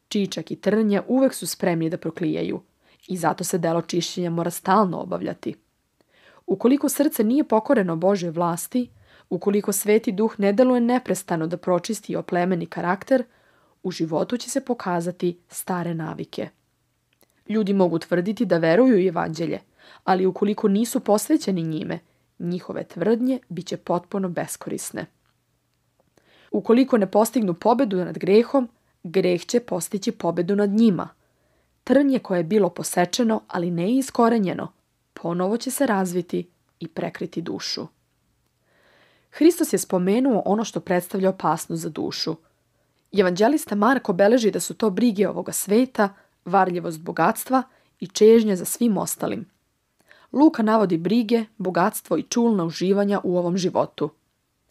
S1: Čičak i trnje uvek su spremni da proklijaju i zato se delo čišćenja mora stalno obavljati. Ukoliko srce nije pokoreno Božjoj vlasti, ukoliko Sveti Duh ne deluje neprestano da pročisti i oplemeni karakter, u životu će se pokazati stare navike. Ljudi mogu tvrditi da veruju u evanđelje, ali ukoliko nisu posvećeni njime, njihove tvrdnje bit će potpuno beskorisne. Ukoliko ne postignu pobedu nad grehom, greh će postići pobedu nad njima. Trnje koje je bilo posečeno, ali ne iskorenjeno, ponovo će se razviti i prekriti dušu. Hristos je spomenuo ono što predstavlja opasnost za dušu. Evanđelista Marko beleži da su to brige ovoga sveta, varljivost bogatstva i čežnja za svim ostalim. Luka navodi brige, bogatstvo i čulna uživanja u ovom životu.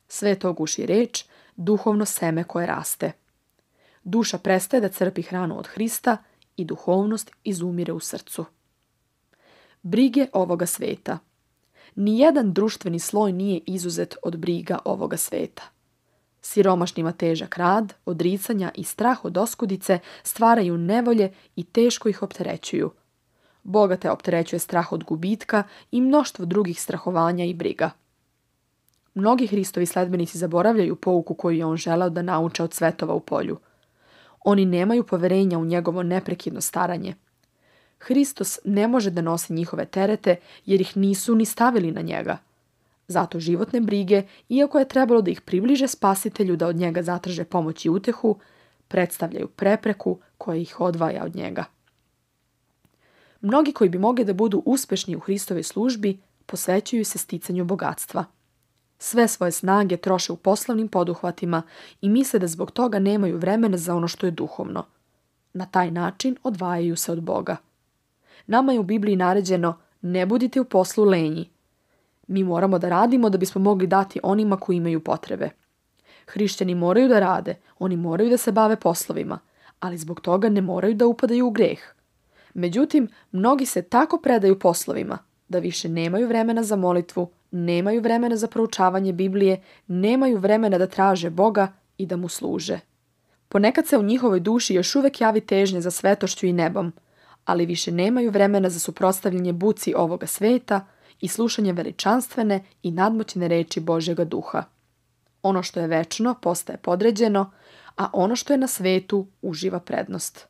S1: Sve to guši reč, duhovno seme koje raste. Duša prestaje da crpi hranu od Hrista i duhovnost izumire u srcu. Brige ovoga sveta. Nijedan društveni sloj nije izuzet od briga ovoga sveta. Siromašnima težak rad, odricanja i strah od oskudice stvaraju nevolje i teško ih opterećuju. Bogate opterećuje strah od gubitka i mnoštvo drugih strahovanja i briga. Mnogi Hristovi sledbenici zaboravljaju pouku koju je on želeo da nauče od svetova u polju. Oni nemaju poverenja u njegovo neprekidno staranje. Hristos ne može da nosi njihove terete jer ih nisu ni stavili na njega. Zato životne brige, iako je trebalo da ih približe Spasitelju da od njega zatraže pomoć i utehu, predstavljaju prepreku koja ih odvaja od njega. Mnogi koji bi mogli da budu uspešni u Hristovoj službi posvećuju se sticanju bogatstva. Sve svoje snage troše u poslovnim poduhvatima i misle da zbog toga nemaju vremena za ono što je duhovno. Na taj način odvajaju se od Boga. Nama je u Bibliji naređeno: ne budite u poslu lenji. Mi moramo da radimo da bismo mogli dati onima koji imaju potrebe. Hrišćani moraju da rade, oni moraju da se bave poslovima, ali zbog toga ne moraju da upadaju u greh. Međutim, mnogi se tako predaju poslovima da više nemaju vremena za molitvu, nemaju vremena za proučavanje Biblije, nemaju vremena da traže Boga i da mu služe. Ponekad se u njihovoj duši još uvek javi težnje za svetošću i nebom, ali više nemaju vremena za suprotstavljanje buci ovoga sveta i slušanje veličanstvene i nadmoćne reči Božjega duha. Ono što je večno postaje podređeno, a ono što je na svetu uživa prednost.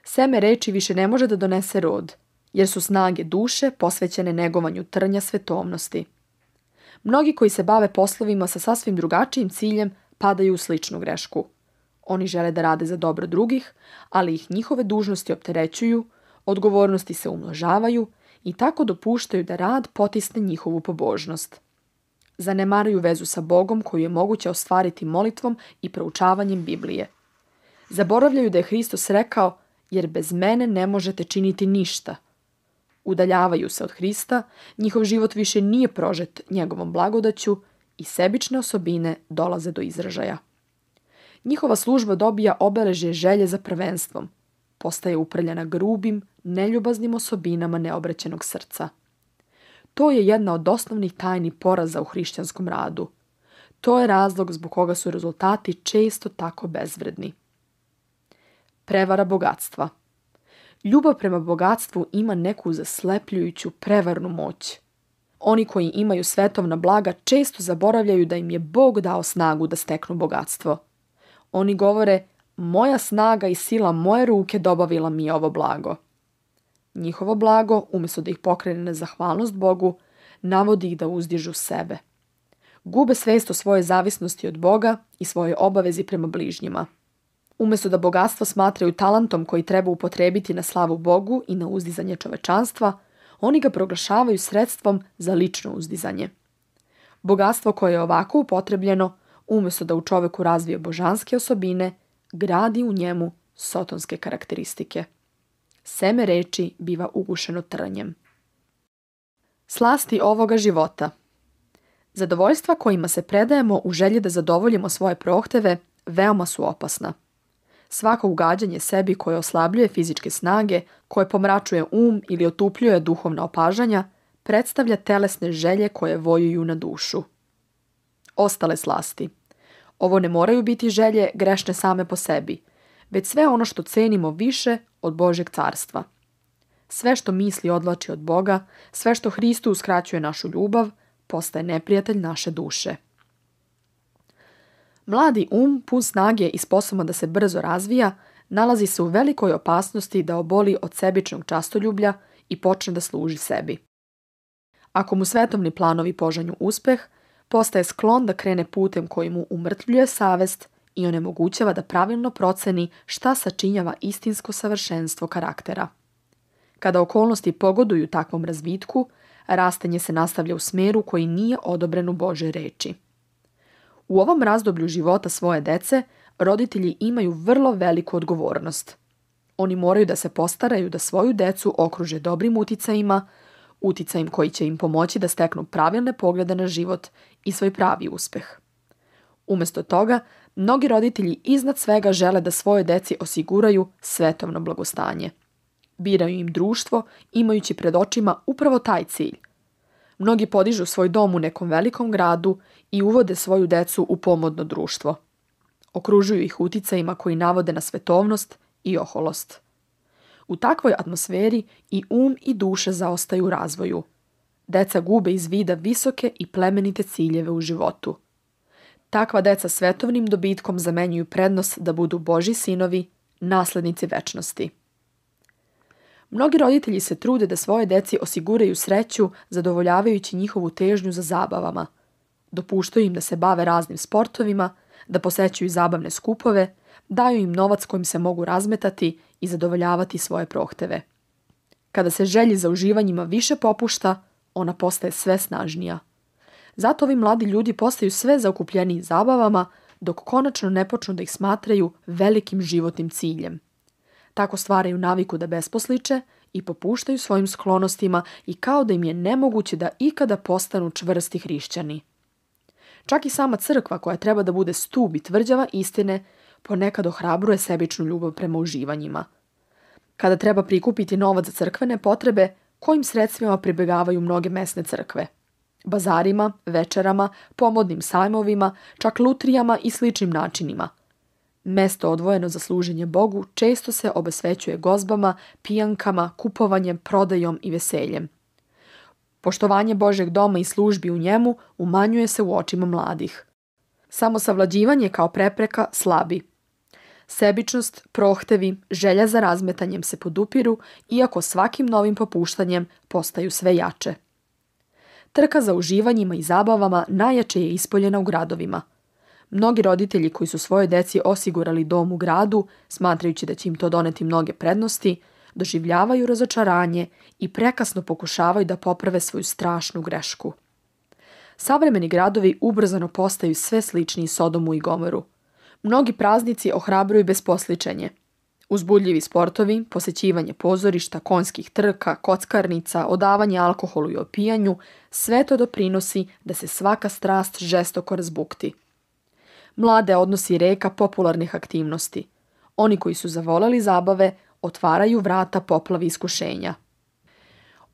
S1: Seme reči više ne može da donese rod, jer su snage duše posvećene negovanju trnja svetovnosti. Mnogi koji se bave poslovima sa sasvim drugačijim ciljem padaju u sličnu grešku. Oni žele da rade za dobro drugih, ali ih njihove dužnosti opterećuju, odgovornosti se umnožavaju i tako dopuštaju da rad potisne njihovu pobožnost. Zanemaruju vezu sa Bogom koju je moguće ostvariti molitvom i proučavanjem Biblije. Zaboravljaju da je Hristos rekao: jer bez mene ne možete činiti ništa. Udaljavaju se od Hrista, njihov život više nije prožet njegovom blagodaću i sebične osobine dolaze do izražaja. Njihova služba dobija obeležje želje za prvenstvom, postaje uprljana grubim, neljubaznim osobinama neobraćenog srca. To je jedna od osnovnih tajni poraza u hrišćanskom radu. To je razlog zbog koga su rezultati često tako bezvredni. Prevara bogatstva. Ljubav prema bogatstvu ima neku zaslepljujuću prevarnu moć. Oni koji imaju svetovna blaga često zaboravljaju da im je Bog dao snagu da steknu bogatstvo. Oni govore: moja snaga i sila moje ruke dobavila mi je ovo blago. Njihovo blago, umjesto da ih pokrene na zahvalnost Bogu, navodi ih da uzdižu sebe. Gube svest o svojoj zavisnosti od Boga i svojoj obavezi prema bližnjima. Umjesto da bogatstvo smatraju talentom koji treba upotrebiti na slavu Bogu i na uzdizanje čovečanstva, oni ga proglašavaju sredstvom za lično uzdizanje. Bogatstvo koje je ovako upotrebljeno, umjesto da u čoveku razvije božanske osobine, gradi u njemu sotonske karakteristike. Seme reči biva ugušeno trnjem. Slasti ovoga života. Zadovoljstva kojima se predajemo u želji da zadovoljimo svoje prohteve veoma su opasna. Svako ugađanje sebi koje oslabljuje fizičke snage, koje pomračuje ili otupljuje duhovna opažanja, predstavlja telesne želje koje vojuju na dušu. Ostale slasti. Ovo ne moraju biti želje grešne same po sebi, već sve ono što cenimo više od Božjeg carstva. Sve što misli odvlači od Boga, sve što Hristu uskraćuje našu ljubav, postaje neprijatelj naše duše. Mladi pun snage i sposoban da se brzo razvija, nalazi se u velikoj opasnosti da oboli od sebičnog častoljublja i počne da služi sebi. Ako mu svetovni planovi požanju uspeh, postaje sklon da krene putem koji mu umrtvljuje savest i onemogućava da pravilno proceni šta sačinjava istinsko savršenstvo karaktera. Kada okolnosti pogoduju takvom razvitku, rastanje se nastavlja u smeru koji nije odobren u Božoj reči. U ovom razdoblju života svoje dece, roditelji imaju vrlo veliku odgovornost. Oni moraju da se postaraju da svoju decu okruže dobrim uticajima koji će im pomoći da steknu pravilne poglede na život i svoj pravi uspeh. Umjesto toga, mnogi roditelji iznad svega žele da svoje deci osiguraju svetovno blagostanje. Biraju im društvo, imajući pred očima upravo taj cilj. Mnogi podižu svoj dom u nekom velikom gradu i uvode svoju decu u pomodno društvo. Okružuju ih uticajima koji navode na svetovnost i oholost. U takvoj atmosferi i i duša zaostaju u razvoju. Deca gube iz vida visoke i plemenite ciljeve u životu. Takva deca svetovnim dobitkom zamenjuju prednost da budu Božji sinovi, naslednici večnosti. Mnogi roditelji se trude da svoje deci osiguraju sreću zadovoljavajući njihovu težnju za zabavama. Dopuštaju im da se bave raznim sportovima, da posećuju zabavne skupove, daju im novac kojim se mogu razmetati i zadovoljavati svoje prohteve. Kada se želji za uživanjima više popušta, ona postaje sve snažnija. Zato ovi mladi ljudi postaju sve zaokupljeniji zabavama, dok konačno ne počnu da ih smatraju velikim životnim ciljem. Tako stvaraju naviku da besposliče i popuštaju svojim sklonostima i kao da im je nemoguće da ikada postanu čvrsti hrišćani. Čak i sama crkva, koja treba da bude stub i tvrđava istine, ponekad ohrabruje sebičnu ljubav prema uživanjima. Kada treba prikupiti novac za crkvene potrebe, kojim sredstvima pribegavaju mnoge mesne crkve? Bazarima, večerama, pomodnim sajmovima, čak lutrijama i sličnim načinima. Mesto odvojeno za služenje Bogu često se obesvećuje gozbama, pijankama, kupovanjem, prodajom i veseljem. Poštovanje Božjeg doma i službi u njemu umanjuje se u očima mladih. Samosavlađivanje kao prepreka slabi. Sebičnost, prohtevi, želja za razmetanjem se podupiru, iako svakim novim popuštanjem postaju sve jače. Trka za uživanjima i zabavama najjače je ispoljena u gradovima. Mnogi roditelji koji su svojoj deci osigurali dom u gradu, smatrajući da će im to doneti mnoge prednosti, doživljavaju razočaranje i prekasno pokušavaju da poprave svoju strašnu grešku. Savremeni gradovi ubrzano postaju sve sličniji Sodomu i Gomoru. Mnogi praznici ohrabruju besposličenje. Uzbudljivi sportovi, posećivanje pozorišta, konjskih trka, kockarnica, odavanje alkoholu i opijanju, sve to doprinosi da se svaka strast žestoko razbukti. Mlade odnosi reka popularnih aktivnosti. Oni koji su zavoleli zabave otvaraju vrata poplavi iskušenja.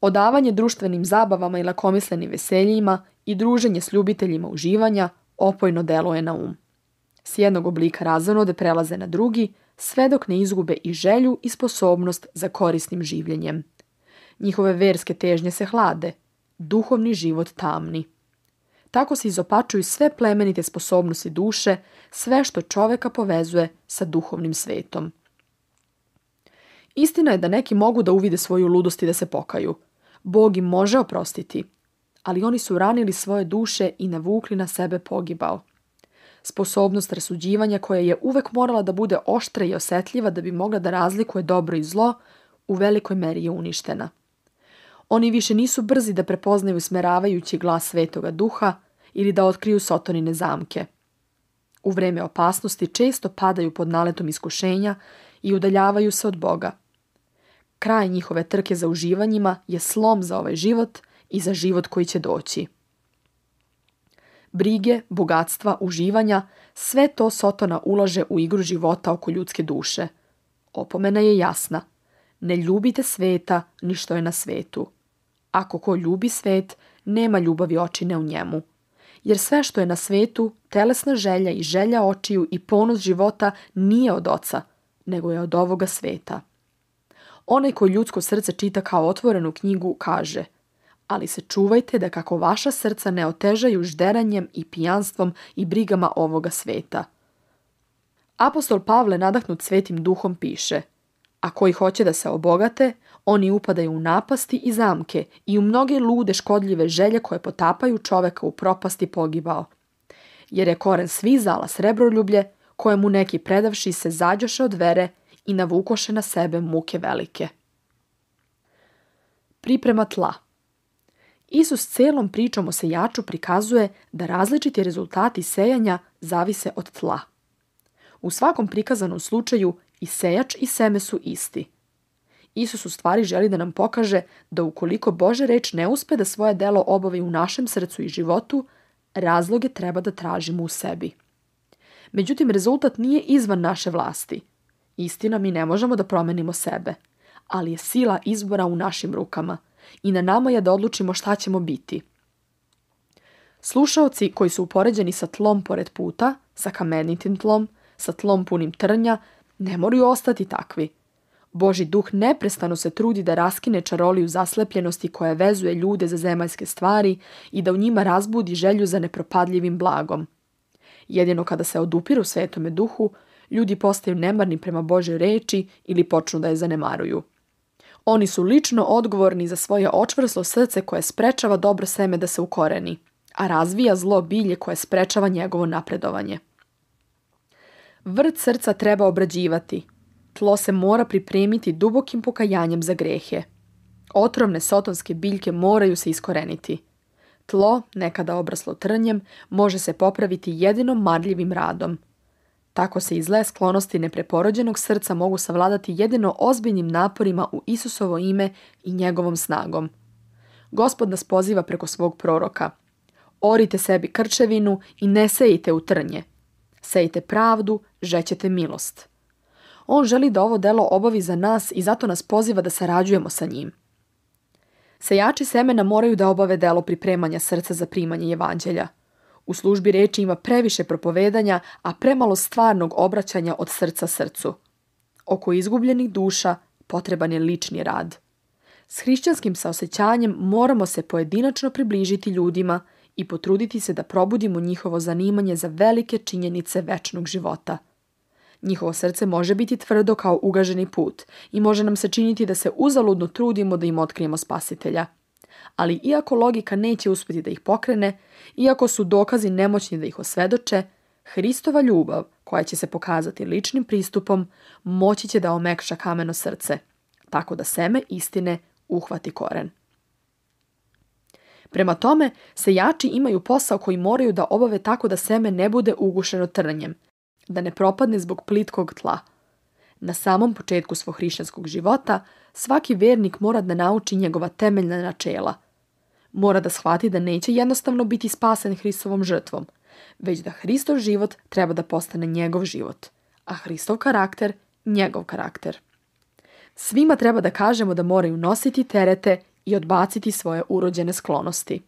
S1: Odavanje društvenim zabavama i lakomislenim veseljima i druženje s ljubiteljima uživanja opojno deluje na S jednog oblika razonode prelaze na drugi, sve dok ne izgube i želju i sposobnost za korisnim življenjem. Njihove verske težnje se hlade, duhovni život tamni. Tako se izopačuju sve plemenite sposobnosti duše, sve što čoveka povezuje sa duhovnim svetom. Istina je da neki mogu da uvide svoju ludost i da se pokaju. Bog im može oprostiti, ali oni su ranili svoje duše i navukli na sebe pogibao. Sposobnost rasuđivanja koja je uvek morala da bude oštra i osetljiva da bi mogla da razlikuje dobro i zlo, u velikoj meri je uništena. Oni više nisu brzi da prepoznaju smeravajući glas Svetoga Duha ili da otkriju Sotonine zamke. U vreme opasnosti često padaju pod naletom iskušenja i udaljavaju se od Boga. Kraj njihove trke za uživanjima je slom za ovaj život i za život koji će doći. Brige, bogatstva, uživanja, sve to Sotona ulaže u igru života oko ljudske duše. Opomena je jasna. Ne ljubite sveta ni što je na svetu. Ako ko ljubi svet, nema ljubavi očine u njemu. Jer sve što je na svetu, telesna želja i želja očiju i ponos života nije od oca, nego je od ovoga sveta. Onaj koji ljudsko srce čita kao otvorenu knjigu kaže: ali se čuvajte da kako vaša srca ne otežaju žderanjem i pijanstvom i brigama ovoga sveta. Apostol Pavle, nadahnut Svetim Duhom, piše: a koji hoće da se obogate, oni upadaju u napasti i zamke i u mnoge lude škodljive želje koje potapaju čoveka u propasti pogibao. Jer je koren svih zala srebroljublje, kojemu neki predavši se zađoše od vere i navukoše na sebe muke velike. Priprema tla. Isus celom pričom o sejaču prikazuje da različiti rezultati sejanja zavise od tla. U svakom prikazanom slučaju i sejač i seme su isti. Isus u stvari želi da nam pokaže da ukoliko Božja reč ne uspe da svoje delo obavi u našem srcu i životu, razloge treba da tražimo u sebi. Međutim, rezultat nije izvan naše vlasti. Istina, mi ne možemo da promenimo sebe, ali je sila izbora u našim rukama i na nama je da odlučimo šta ćemo biti. Slušaoci koji su upoređeni sa tlom pored puta, sa kamenitim tlom, sa tlom punim trnja, ne moraju ostati takvi. Božji duh neprestano se trudi da raskine čaroliju zaslepljenosti koja vezuje ljude za zemaljske stvari i da u njima razbudi želju za nepropadljivim blagom. Jedino kada se odupiru Svetome Duhu, ljudi postaju nemarni prema Božjoj reči ili počnu da je zanemaruju. Oni su lično odgovorni za svoje očvrslo srce koje sprečava dobro seme da se ukoreni, a razvija zlo bilje koje sprečava njegovo napredovanje. Vrt srca treba obrađivati. Tlo se mora pripremiti dubokim pokajanjem za grehe. Otrovne sotonske biljke moraju se iskoreniti. Tlo, nekada obraslo trnjem, može se popraviti jedino marljivim radom. Tako se i zle sklonosti nepreporođenog srca mogu savladati jedino ozbiljnim naporima u Isusovo ime i njegovom snagom. Gospod nas poziva preko svog proroka: orite sebi krčevinu i ne sejite u trnje. Sejte pravdu, žećete milost. On želi da ovo delo obavi za nas i zato nas poziva da sarađujemo sa njim. Sejači semena moraju da obave delo pripremanja srca za primanje evanđelja. U službi reči ima previše propovedanja, a premalo stvarnog obraćanja od srca srcu. Oko izgubljenih duša potreban je lični rad. S hrišćanskim saosećanjem moramo se pojedinačno približiti ljudima i potruditi se da probudimo njihovo zanimanje za velike činjenice večnog života. Njihovo srce može biti tvrdo kao ugaženi put i može nam se činiti da se uzaludno trudimo da im otkrijemo Spasitelja. Ali iako logika neće uspjeti da ih pokrene, iako su dokazi nemoćni da ih osvedoče, Hristova ljubav, koja će se pokazati ličnim pristupom, moći će da omekša kameno srce, tako da seme istine uhvati koren. Prema tome, sejači imaju posao koji moraju da obave tako da seme ne bude ugušeno trnjem, da ne propadne zbog plitkog tla. Na samom početku svog hrišćanskog života, svaki vernik mora da nauči njegova temeljna načela. Mora da shvati da neće jednostavno biti spasen Hristovom žrtvom, već da Hristov život treba da postane njegov život, a Hristov karakter njegov karakter. Svima treba da kažemo da moraju nositi terete i odbaciti svoje urođene sklonosti.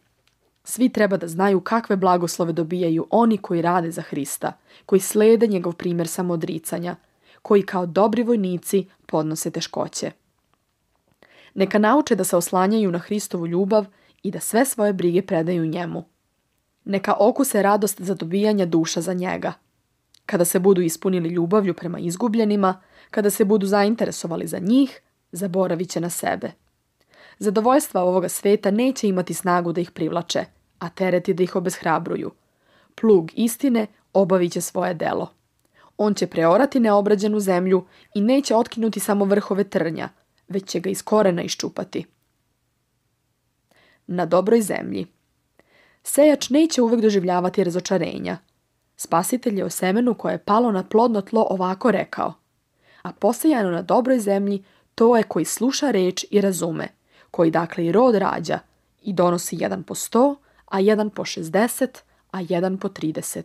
S1: Svi treba da znaju kakve blagoslove dobijaju oni koji rade za Hrista, koji slede njegov primjer samoodricanja, koji kao dobri vojnici podnose teškoće. Neka nauče da se oslanjaju na Hristovu ljubav i da sve svoje brige predaju njemu. Neka okuse radost za dobijanje duša za njega. Kada se budu ispunili ljubavlju prema izgubljenima, kada se budu zainteresovali za njih, zaboravit će na sebe. Zadovoljstva ovoga sveta neće imati snagu da ih privlače, a tereti da ih obeshrabruju. Plug istine obavit će svoje delo. On će preorati neobrađenu zemlju i neće otkinuti samo vrhove trnja, već će ga iz korena iščupati. Na dobroj zemlji. Sejač neće uvek doživljavati razočarenja. Spasitelj je o semenu koje je palo na plodno tlo ovako rekao: a posejano na dobroj zemlji, To je koji sluša reč i razume, koji dakle i rod rađa i donosi 1 po 100, a 1 po 60, a 1 po 30.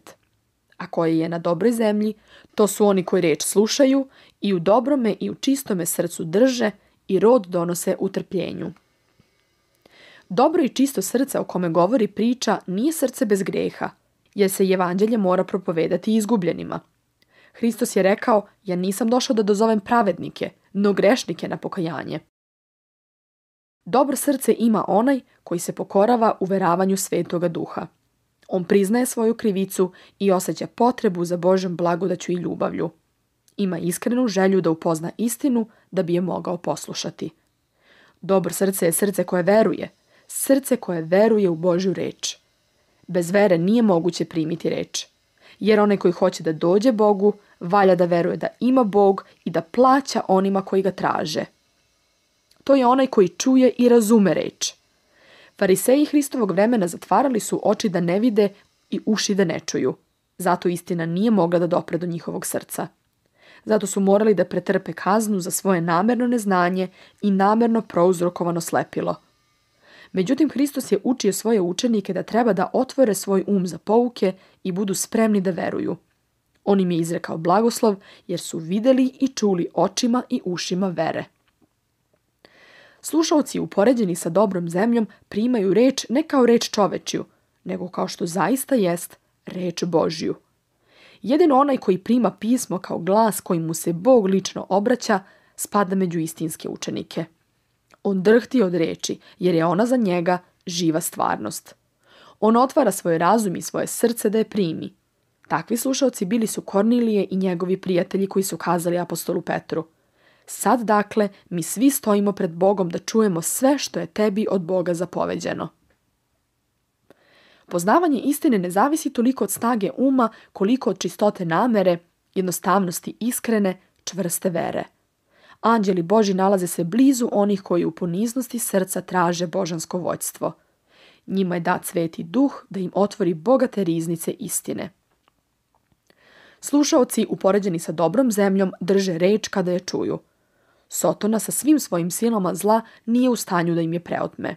S1: A koji je na dobroj zemlji, to su oni koji reč slušaju i u dobrome i u čistome srcu drže i rod donose u trpljenju. Dobro i čisto srce o kome govori priča nije srce bez greha, jer se evanđelje mora propovedati izgubljenima. Hristos je rekao, ja nisam došao da dozovem pravednike, no grešnike na pokajanje. Dobro srce ima onaj koji se pokorava uveravanju Svetoga Duha. On priznaje svoju krivicu i osjeća potrebu za Božjom blagodaću i ljubavlju. Ima iskrenu želju da upozna istinu da bi je mogao poslušati. Dobro srce je srce koje veruje u Božju reč. Bez vere nije moguće primiti reč, jer onaj koji hoće da dođe Bogu, valja da veruje da ima Bog i da plaća onima koji ga traže. To je onaj koji čuje i razume reč. Fariseji Hristovog vremena zatvarali su oči da ne vide i uši da ne čuju. Zato istina nije mogla da dopre do njihovog srca. Zato su morali da pretrpe kaznu za svoje namerno neznanje i namerno prouzrokovano slepilo. Međutim, Hristos je učio svoje učenike da treba da otvore svoj um za pouke i budu spremni da veruju. On im je izrekao blagoslov jer su videli i čuli očima i ušima vere. Slušaoci upoređeni sa dobrom zemljom primaju reč ne kao reč čovečju, nego kao što zaista jest reč Božju. Jedino onaj koji prima pismo kao glas kojim mu se Bog lično obraća, spada među istinske učenike. On drhti od reči, jer je ona za njega živa stvarnost. On otvara svoj razum i svoje srce da je primi. Takvi slušaoci bili su Kornilije i njegovi prijatelji koji su kazali apostolu Petru: sad dakle mi svi stojimo pred Bogom da čujemo sve što je tebi od Boga zapoveđeno. Poznavanje istine ne zavisi toliko od snage uma koliko od čistote namere, jednostavnosti iskrene, čvrste vere. Anđeli Božji nalaze se blizu onih koji u poniznosti srca traže božansko vođstvo. Njima je dat Sveti Duh da im otvori bogate riznice istine. Slušaoci upoređeni sa dobrom zemljom drže reč kada je čuju. Sotona sa svim svojim silama zla nije u stanju da im je preotme.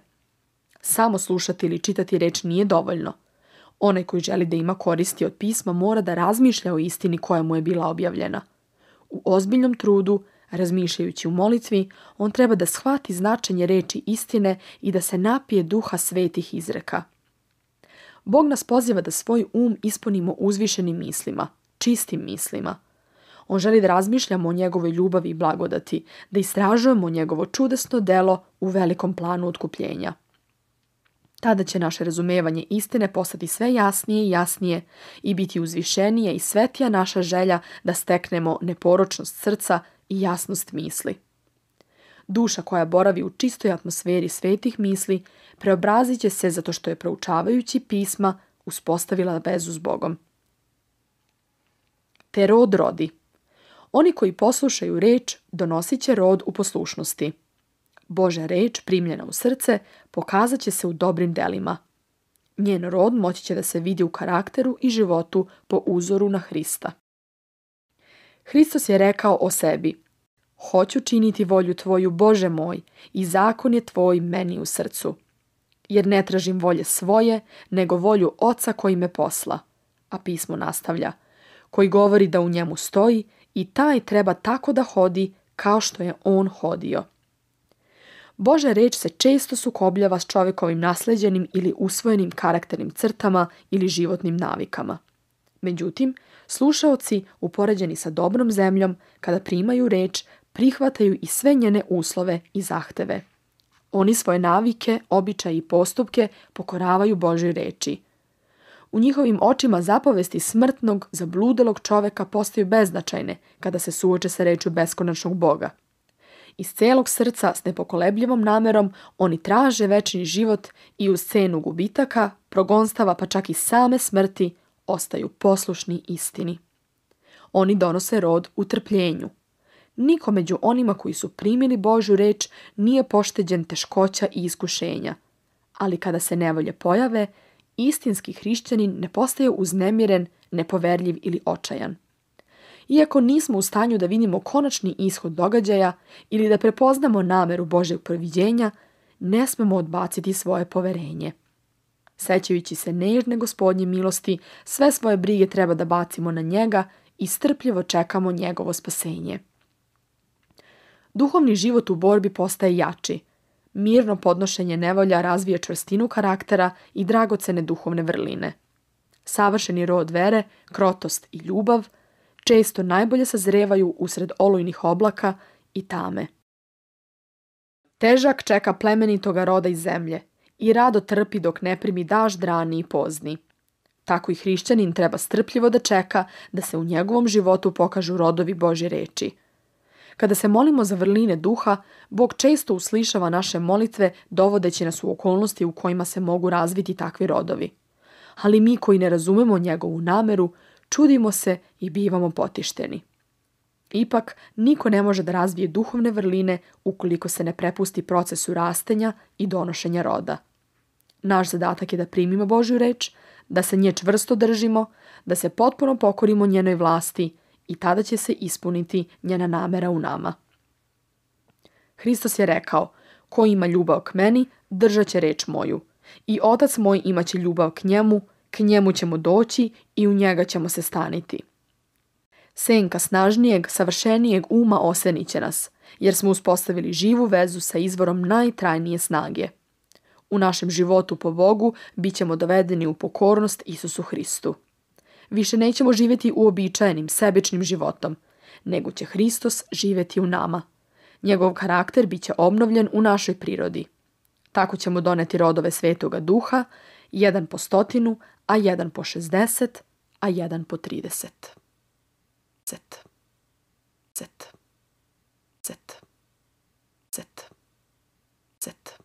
S1: Samo slušati ili čitati reč nije dovoljno. Onaj koji želi da ima koristi od pisma mora da razmišlja o istini koja mu je bila objavljena. U ozbiljnom trudu, razmišljajući u molitvi, on treba da shvati značenje reči istine i da se napije duha svetih izreka. Bog nas poziva da svoj um ispunimo uzvišenim mislima, čistim mislima. On želi da razmišljamo o njegovoj ljubavi i blagodati, da istražujemo njegovo čudesno delo u velikom planu otkupljenja. Tada će naše razumevanje istine postati sve jasnije i jasnije i biti uzvišenije i svetija naša želja da steknemo neporočnost srca i jasnost misli. Duša koja boravi u čistoj atmosferi svetih misli preobrazit će se zato što je proučavajući pisma uspostavila vezu s Bogom. Te rod rodi. Oni koji poslušaju reč donosit će rod u poslušnosti. Božja reč primljena u srce pokazat će se u dobrim delima. Njen rod moći će da se vidi u karakteru i životu po uzoru na Hrista. Hristos je rekao o sebi: hoću činiti volju tvoju, Bože moj, i zakon je tvoj meni u srcu. Jer ne tražim volje svoje, nego volju Oca koji me posla. A pismo nastavlja: koji govori da u njemu stoji i taj treba tako da hodi kao što je on hodio. Božja reč se često sukobljava s čovjekovim nasleđenim ili usvojenim karakternim crtama ili životnim navikama. Međutim, slušaoci, upoređeni sa dobrom zemljom, kada primaju reč, prihvataju i sve njene uslove i zahteve. Oni svoje navike, običaje i postupke pokoravaju Božjoj reči. U njihovim očima zapovesti smrtnog, zabludelog čoveka postaju beznačajne kada se suoče sa rečju beskonačnog Boga. Iz celog srca s nepokolebljivom namerom oni traže večni život i uz cenu gubitaka, progonstava pa čak i same smrti ostaju poslušni istini. Oni donose rod u trpljenju. Niko među onima koji su primili Božju reč nije pošteđen teškoća i iskušenja. Ali kada se nevolje pojave, istinski hrišćanin ne postaje uznemiren, nepoverljiv ili očajan. Iako nismo u stanju da vidimo konačni ishod događaja ili da prepoznamo nameru Božjeg proviđenja, ne smemo odbaciti svoje poverenje. Sećajući se nežne Gospodnje milosti, sve svoje brige treba da bacimo na njega i strpljivo čekamo njegovo spasenje. Duhovni život u borbi postaje jači. Mirno podnošenje nevolja razvija čvrstinu karaktera i dragocene duhovne vrline. Savršeni rod vere, krotost i ljubav često najbolje sazrevaju usred olujnih oblaka i tame. Težak čeka plemenitoga roda iz zemlje i rado trpi dok ne primi dažd rani i pozni. Tako i hrišćanin treba strpljivo da čeka da se u njegovom životu pokažu rodovi Božje reči. Kada se molimo za vrline duha, Bog često uslišava naše molitve dovodeći nas u okolnosti u kojima se mogu razviti takvi rodovi. Ali mi koji ne razumemo njegovu nameru, čudimo se i bivamo potišteni. Ipak, niko ne može da razvije duhovne vrline ukoliko se ne prepusti procesu rastenja i donošenja roda. Naš zadatak je da primimo Božju reč, da se nje čvrsto držimo, da se potpuno pokorimo njenoj vlasti i tada će se ispuniti njena namera u nama. Hristos je rekao, ko ima ljubav k meni, držat će reč moju. I Otac moj imaće ljubav k njemu ćemo doći i u njega ćemo se staniti. Senka snažnijeg, savršenijeg uma osenit će nas, jer smo uspostavili živu vezu sa izvorom najtrajnije snage. U našem životu po Bogu bit ćemo dovedeni u pokornost Isusu Hristu. Više nećemo živjeti uobičajenim, sebičnim životom, nego će Hristos živjeti u nama. Njegov karakter bit će obnovljen u našoj prirodi. Tako ćemo doneti rodove Svetoga Duha, 1 po 100, a 1 po 60, a 1 po 30. Cet. Cet. Cet. Cet. Cet.